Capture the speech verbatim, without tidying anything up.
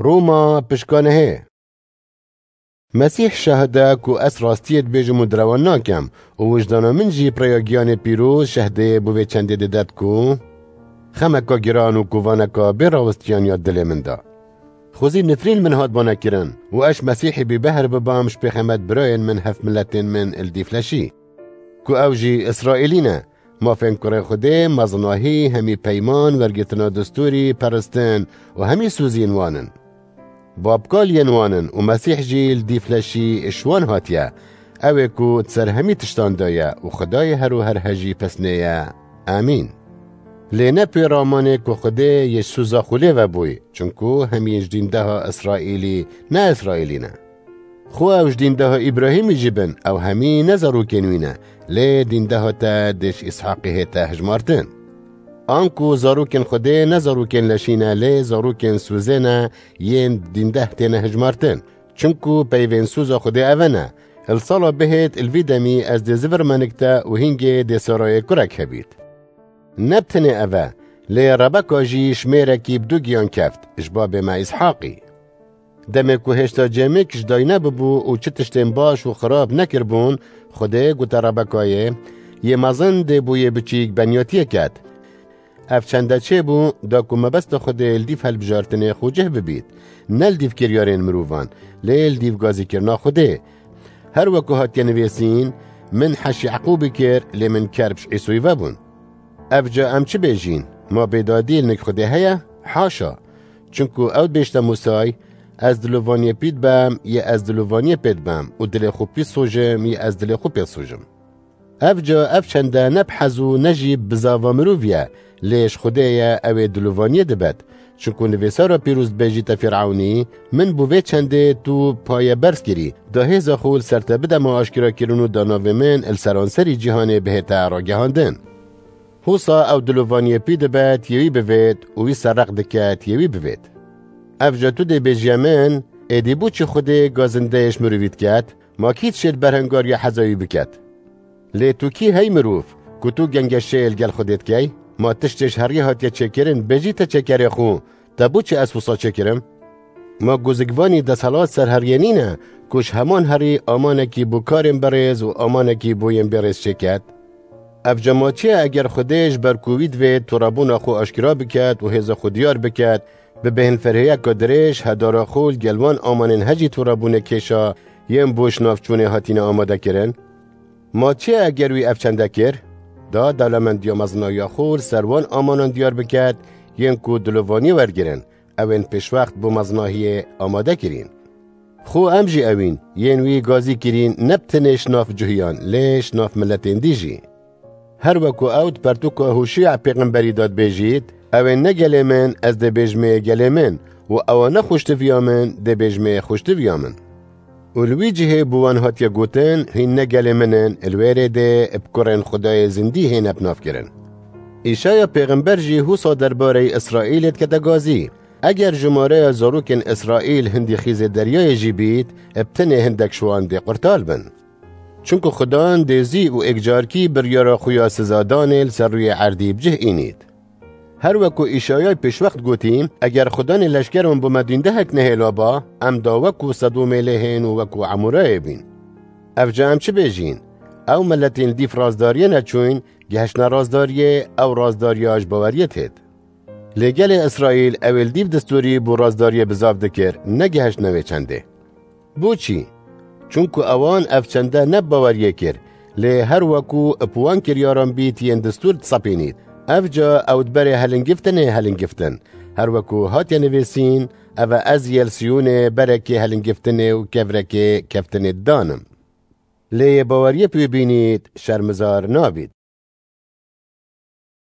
Roma pişka nehê. Mesîh şahid e ku ez rastiyê dibêjim û direwan nakem û wijdana min jî bi rêya giyanê pîroz şehdeyê bo vê çendê dide ku xemeka giran û kovaneka bê rawistiyan ya dilê min de. Xwezî nifrîn min hat banekirin û ez Mesîhî bî behr bibam ji pêxemet birayên min hevmiletên min li dîfleşî. Ku ew jî Îsraîlî ne, mafên kurê Xwedê, mezinahî, hemî peyman, wergirtina destûrî, peristin û hemî soziyên wan in. Babkaliyên wan in û Mesîh jî li dîfleşî ji wan hatiye. Ew ê ku di ser hemî tiştan de ye û Xwedayê her û her hejî pesnê ye. Amîn. Lê ne pê ramanê ku Xwedê yê ji soza xwe lê vebûyî, çunku hemî ji dîndeha Îsraîlî ne Îsraîlî ne. Xwe ew ji dîndeha Îbrahîmî jî bin, ew hemî ne zarokên wî ne, lê dîndeha te dê ji Îshaqî hête hejmartin. Anku zarokên Xwedê ne zarokên leşî ne, lê zarokên sozê ne, yên dîndeh têne hejmartin. Çunku peyvên soza Xwedê ev ne: Li sala bihêt, li vî demî ez dê zivirme nik te û hîngê dê Sarayê kurek hebît. Ne bi tenê ev e, lê Rebeka jî ji mêrekî bi du giyan keft, ji babê me Îshaqî. Demê ku hêşta cêmik ji dayî nebibû û çi tiştên baş û xirab nekiribûn, Xwedê gote Rebekayê, yê mezin dê bo yê biçîk benyatiyê ket. Ev çende çêbû, da ku mebesta Xwedê li dîv helbijartinê xwe cih bibît, ne li dîv kiryarên mirovan, lê li dîv gazîkirina Xwedê. Her weku hatiye nivîsîn, Min heş Yaqûbî kir, lê min kerb ji Îsoyî vebûn. Ev ca em çi bêjîn? Ma bêdadî li nik Xwedê heye? Haşa! Çunku ew dibêjte Mûsay, Ez dilovaniyê pî dibem, yê ez dilovaniyê pê dibem û dilê xwe pî sojim, yê ez dilê xwe pê sojim. Ev ca ev çende ne bi hez û ne jî bi zava mirovî ye, lê ji Xwedê ye, ew ê dilovaniyê dibet. Çunku nivîsara pîroz dibêjîte Fîrewnî, Min bo vê çendê tu paye berz kirî, da hêza xwe li ser te bideme aşkerakirin û da navê min li seranserî cîhanê bihête ragihandin. Husa ew dilovaniyê pî dibet, yê wî bivêt û wî ser req diket, yê wî bivêt. Ev ca tu dê bêjiye min, êdî bo çi Xwedê gazindeyê ji mirovî diket? Ma kî dişêt berhengariya heza wî biket? Lê tu kî hey mirov, ku tu gengeşeyê li gel Xwedê dikey? Ma tiştê ji heriyê hatiye çêkirin, bêjî te çêkerê xwe, te bo çi ez wisa çêkirim? Ma gozikvanî desthilat ser heriyê nîne, ku ji heman herî amanekî bo karên berêz û amanekî bo yên bêrêz çêket? Ev ca ma çi ye eger Xwedê ji ber ku wî divê turebûna xwe aşkera biket û hêza xwe diyar biket, bi bêhnferhiyeka dirêj hedara xwe li gel wan amanên hejî turebûnê kêşa yên bo ji nav çûnê hatine amade kirin? Ma çi ye eger wî ev çende kir? Da dewlemendiya mezinahiya xwe li ser wan amanan diyar biket, yên ku dilovaniyê wergirin, ew ên pêşwext bo mezinahiyê amade kirîn. Xwe em jî ewîn, yên wî gazî kirîn, ne bi tenê ji nav cuhiyan, lê ji nav miletên dî jî. Her weku ew di pertûka Hûşîa pêxemberî de dibêjît, Ew ên ne gelê min, ez dê bêjimê gelê min û ewa ne xweştiviya min, dê bêjimê xweştiviya min. Û li wî cihê bi wan hatiye gotin, Hîn ne gelê min in, li wê rê dê bi kurên Xwedayê zindî hêne bi nav kirin. Îşaya pêxember jî husa derbareyî Îsraîlê dikete gazî, Eger jimareya zarokên Îsraîl hindî xîzê deryayê jî bît, bi tenê hindek ji wan dê qurtal bin. Çunku Xudan dê zî û êkcarkî biryara xwe ya sizadanê li ser rûyê erdî bi cih înît. Her weku Îşayay pêşwext gotî, Eger Xudanê leşkeran bo me dîndehek nehêla ba, em da weku Sedomê lê hên û weku Emorayê bîn. Ev ca em çi bêjîn? Ew miletên li dîv razdariyê neçûyn, gihiştine razdariyê, ew razdariya ji baweriyê têt. Lê gelê Îsraîl ew ê li dîv destûrî bo razdariyê bizav dikir, negihiştine wê çendê. Bo çî? Çunku ewan ev çende ne bi baweriyê kir, lê her weku bi wan kiryaran bît yên destûr disepînît. Ev ca ew di berê helingiftinê helingiftin. Her weku hatiye nivîsîn, Ev e ez yê li Siyûnê berekê helingiftinê û kevrekê keftinê didanim. Lê yê baweriyê bi wî bînît, şermizar nabît.